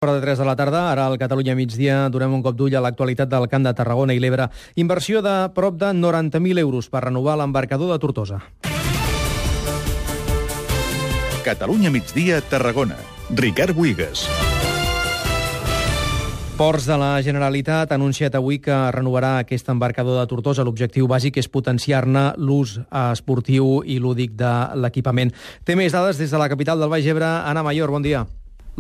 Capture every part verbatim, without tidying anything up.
Hora de tres de la tarda, ara al Catalunya migdia, donem un cop d'ull a l'actualitat del Camp de Tarragona i l'Ebre. Inversió de prop de noranta mil euros per renovar l'embarcador de Tortosa. Catalunya migdia, Tarragona. Ricard Buigas. Ports de la Generalitat ha anunciat avui que renovarà aquest embarcador de Tortosa. L'objectiu bàsic és potenciar-ne l'ús esportiu i lúdic de l'equipament. Té més dades des de la capital del Baix Ebre. Anna Mayor, bon dia.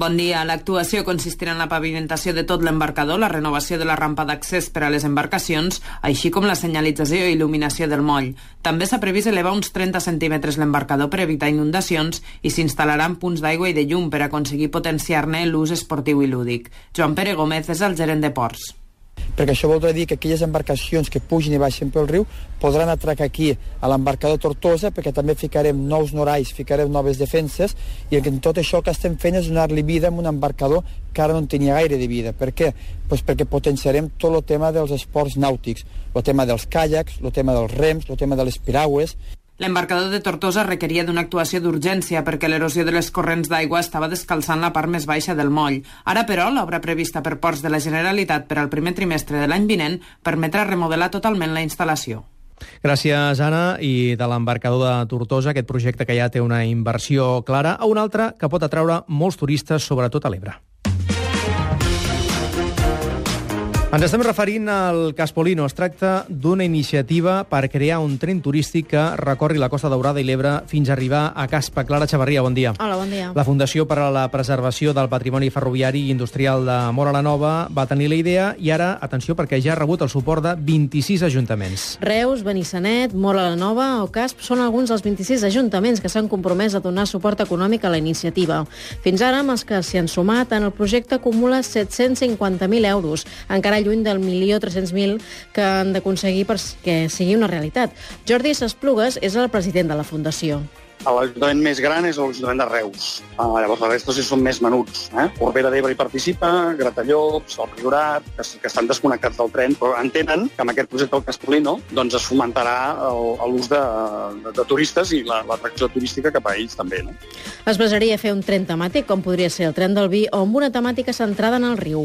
Bon dia. L'actuació consistirà en la pavimentació de tot l'embarcador, la renovació de la rampa d'accés per a les embarcacions, així com la senyalització i il·luminació del moll. També s'ha previst elevar uns trenta centímetres l'embarcador per evitar inundacions i s'instal·laran punts d'aigua i de llum per aconseguir potenciar-ne l'ús esportiu i lúdic. Joan Pere Gómez és el gerent de Ports. Perquè això voldrà dir que aquelles embarcacions que pugin i baixen pel riu podran atracar aquí a l'embarcador Tortosa, perquè també ficarem nous norais, ficarem noves defenses, i en tot això que estem fent és donar-li vida a un embarcador que ara no en tenia gaire de vida. Per què? Pues perquè potenciarem tot el tema dels esports nàutics, el tema dels caiacs, el tema dels rems, el tema de les piragües. L'embarcador de Tortosa requeria d'una actuació d'urgència perquè l'erosió de les corrents d'aigua estava descalçant la part més baixa del moll. Ara, però, l'obra prevista per Ports de la Generalitat per al primer trimestre de l'any vinent permetrà remodelar totalment la instal·lació. Gràcies, Anna. I de l'embarcador de Tortosa, aquest projecte que ja té una inversió clara, a un altre que pot atraure molts turistes, sobretot a l'Ebre. Ens estem referint al Caspolino. Es tracta d'una iniciativa per crear un tren turístic que recorri la Costa Daurada i l'Ebre fins a arribar a Caspa. Clara Xavarria, bon dia. Hola, bon dia. La Fundació per a la Preservació del Patrimoni Ferroviari i Industrial de Móra la Nova va tenir la idea i ara, atenció, perquè ja ha rebut el suport de vint-i-sis ajuntaments. Reus, Benissanet, Móra la Nova o Casp són alguns dels vint-i-sis ajuntaments que s'han compromès a donar suport econòmic a la iniciativa. Fins ara, amb els que s'hi han sumat, en el projecte acumula set-cents cinquanta mil euros, encara lluny del milió tres-cents mil que han d'aconseguir perquè sigui una realitat. Jordi Sasplugues és el president de la Fundació. L'ajuntament més gran és l'Ajuntament de Reus. Uh, llavors, la resta sí són més menuts. Eh? Corbera d'Ebre hi participa, Gratallops, el Priorat, que, que estan desconnectats del tren, però entenen que amb aquest projecte del Caspolino doncs, es fomentarà l'ús de, de, de turistes i l'atracció turística cap a ells també. No? Es basaria a fer un tren temàtic, com podria ser el tren del vi, o amb una temàtica centrada en el riu.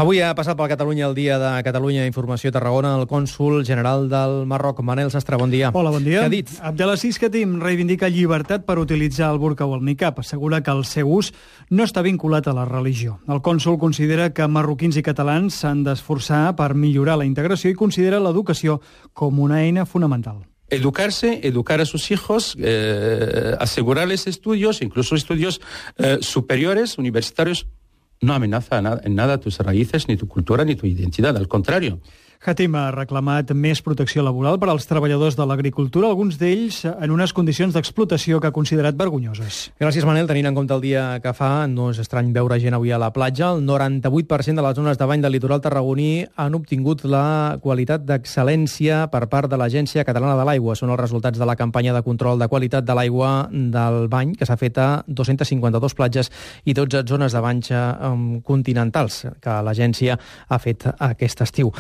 Avui ha passat per Catalunya el dia de Catalunya Informació Tarragona el cònsol general del Marroc, Manel Sastre, bon dia. Hola, bon dia. Què ha dit? Abdelaziz Khatim reivindica llibertat per utilitzar el burca o el niqab. Assegura que el seu ús no està vinculat a la religió. El cònsol considera que marroquins i catalans s'han d'esforçar per millorar la integració i considera l'educació com una eina fonamental. Educarse, educar a sus hijos, eh, asegurarles estudios, incluso estudios eh, superiores, universitarios. No amenaza en nada tus raíces, ni tu cultura, ni tu identidad, al contrario. Khatim ha reclamat més protecció laboral per als treballadors de l'agricultura, alguns d'ells en unes condicions d'explotació que ha considerat vergonyoses. Gràcies, Manel. Tenint en compte el dia que fa, no és estrany veure gent avui a la platja. El noranta-vuit per cent de les zones de bany del litoral tarragoní han obtingut la qualitat d'excel·lència per part de l'Agència Catalana de l'Aigua. Són els resultats de la campanya de control de qualitat de l'aigua del bany que s'ha fet a dos-centes cinquanta-dues platges i dotze zones de banys continentals que l'agència ha fet aquest estiu.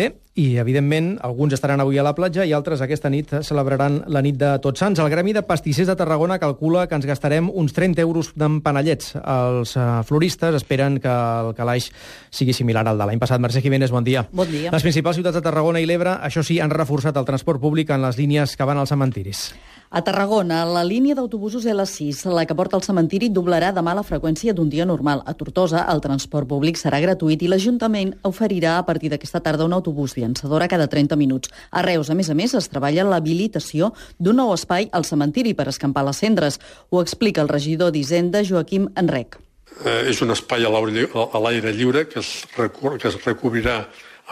Bé, i, evidentment, alguns estaran avui a la platja i altres aquesta nit celebraran la nit de Tots Sants. El Gremi de Pastissers de Tarragona calcula que ens gastarem uns trenta euros d'empanellets. Els floristes esperen que el calaix sigui similar al de l'any passat. Mercè Jiménez, bon dia. Bon dia. Les principals ciutats de Tarragona i l'Ebre, això sí, han reforçat el transport públic en les línies que van als cementiris. A Tarragona, la línia d'autobusos L sis, la que porta al cementiri, doblarà demà la freqüència d'un dia normal. A Tortosa, el transport públic serà gratuït i l'Ajuntament oferirà a partir d'aquesta tarda un autobús llançadora cada trenta minuts. A Reus, a més a més, es treballa l'habilitació d'un nou espai al cementiri per escampar les cendres. Ho explica el regidor d'Hisenda, Joaquim Enrec. Eh, és un espai a l'aire lliure que es, recur, que es recobrirà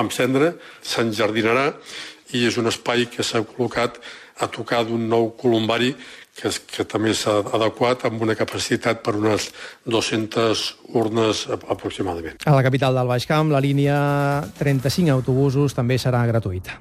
amb cendra, s'enjardinarà i és un espai que s'ha col·locat a tocar d'un nou columbari que, és, que també s'ha adequat amb una capacitat per unes dues-centes urnes aproximadament. A la capital del Baix Camp, la línia trenta-cinc autobusos també serà gratuïta.